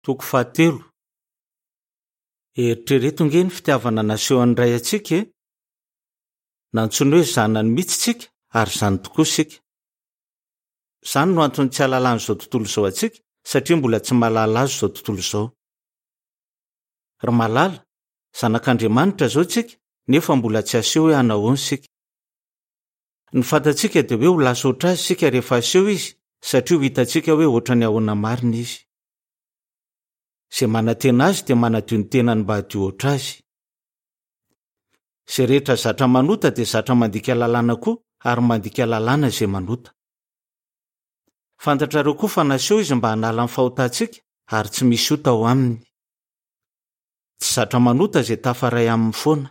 Toko fahatelo. Eritrereto ange ny fitiavana nasehon'ny Ray antsika e! Nantsoiny hoe zanany mihitsy isika ary izany tokoa isika. Izany no antony tsy ahalalan'izao tontolo izao antsika satria mbola tsy mahalala azy izao tontolo izao. Ry malala, zanak'Andriamanitra izao isika nefa mbola tsy aseho hoe hanahoana isika. Ny fantatsika dia hoe ho lasa ohatr'azy isika rehefa aseho izy satria ho hitantsika hoe ohatran'ny ahoana marina izy. Izay manantena azy dia manadio ny tenany mba hadio ohatr'azy. Izay rehetra zatra manota dia zatra mandika lalàna koa ary mandika lalàna izay manota. Fantatrareo koa fa naseho izy mba hanala ny fahotantsika ary tsy misy ota ao aminy. Tsy zatra manota izay tafaray aminy foana.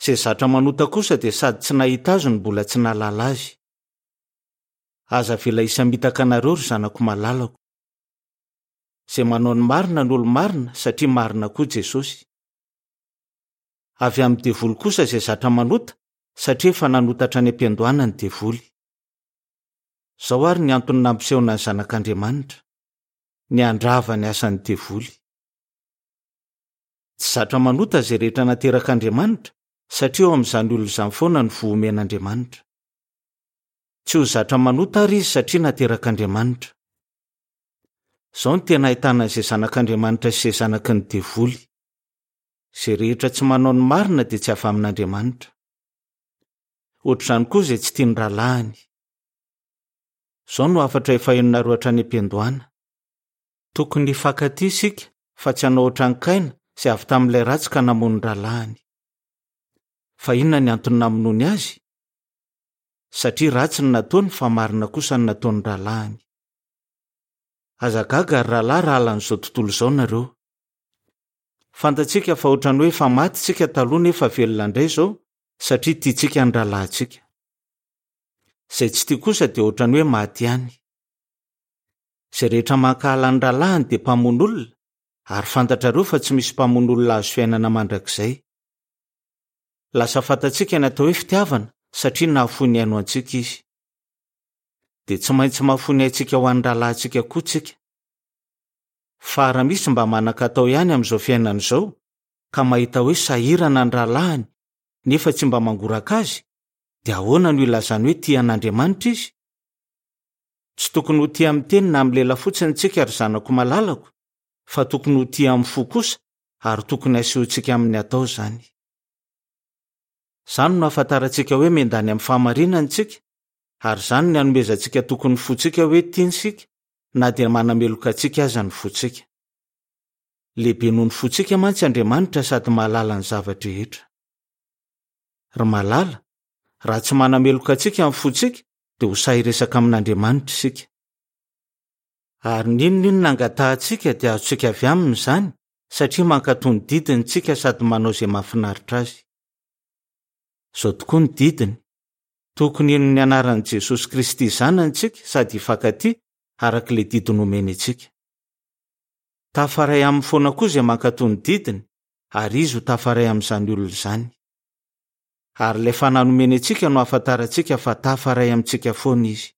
Izay zatra manota kosa dia sady tsy nahita azy no mbola tsy nahalala azy. Aza avela hisamitaka anareo ry zanako malalako. Izay manao ny marina no olo-marina satria marina koa Jesosy. Avy amin'ny devoly kosa izay zatra manota satria efa nanota hatrany am-piandohana ny devoly. Izao àry ny antony nampisehoana ny Zanak'Andriamanitra, ny handrava ny asan'ny devoly. Tsy zatra manota izay rehetra naterak'Andriamanitra satria ao amin'izany olona izany foana ny voa omen'Andriamanitra. Tsy ho zatra manota àry izy satria naterak'Andriamanitra. Izao no tena ahitana an'izay zanak'Andriamanitra sy izay zanaky ny devoly. Izay rehetra tsy manao ny marina dia tsy avy amin'Andriamanitra. Hoatr'izany koa izay tsy tia ny rahalahiny. Izao no hafatra efa henonareo hatrany am-piandohana. Tokony hifankatia isika fa tsy hanao hoatran'i Kaina izay avy tamin'ilay ratsy ka namono ny rahalahiny. Fa inona ny antony namonoany azy? Satria ratsy ny nataony fa marina kosa ny nataon'ny rahalahiny. Aza gaga ry rahalahy raha halan'izao tontolo izao nareo. Fantatsika fa ohatran'ny hoe efa maty tsika taloha nefa velona indray izao satria tiantsika ny rahalahintsika. Izay tsy tia kosa dia ohatran'ny hoe maty ihany. Izay rehetra mankahala ny rahalahiny dia mpamono olona ary fantatrareo fa tsy misy mpamono olona azo fiainana mandrakizay. Lasa fantatsika ny atao hoe fitiavana satria nahafoy ny ainy ho antsika izy. Dia tsy maintsy mahafoy ny aintsika ho an'ny rahalahintsika koa tsika. Fa raha misy mba manan-katao ihany amin'izao fiainana izao ka mahita hoe sahirana ny rahalahiny nefa tsy mba mangoraka azy, dia ahoana no ilazany hoe tia an'Andriamanitra izy? Tsy tokony ho tia amin'ny teny na amin'ny lela fotsiny tsika ry zanako malalako, fa tokony ho tia amin'ny fo kosa ary tokony asehontsika amin'ny atao izany. Izany no ahafantarantsika hoe miandany amin'ny fahamarinana isika, ary izany ny anomezantsika toky ny fontsika hoe tiany isika na dia manameloka antsika aza ny fontsika. Lehibe noho ny fontsika mantsy Andriamanitra sady mahalala ny zava-drehetra. Ry malala, raha tsy manameloka antsika ny fontsika dia ho sahy hiresaka amin'Andriamanitra isika. Ary n'inon'inona angatahantsika dia azontsika avy aminy izany satria mankatò ny didiny isika sady manao izay mahafinaritra azy. Izao tokoa ny didiny, Tokony hino ny anaran'i Jesosy Kristy Zanany isika sady hifankatia araka ilay didy nomeny antsika. Tafaray aminy foana koa izay mankatò ny didiny ary izy ho tafaray amin'izany olona izany. Ary ilay fanahy nomeny antsika no ahafantarantsika fa tafaray amintsika foana izy.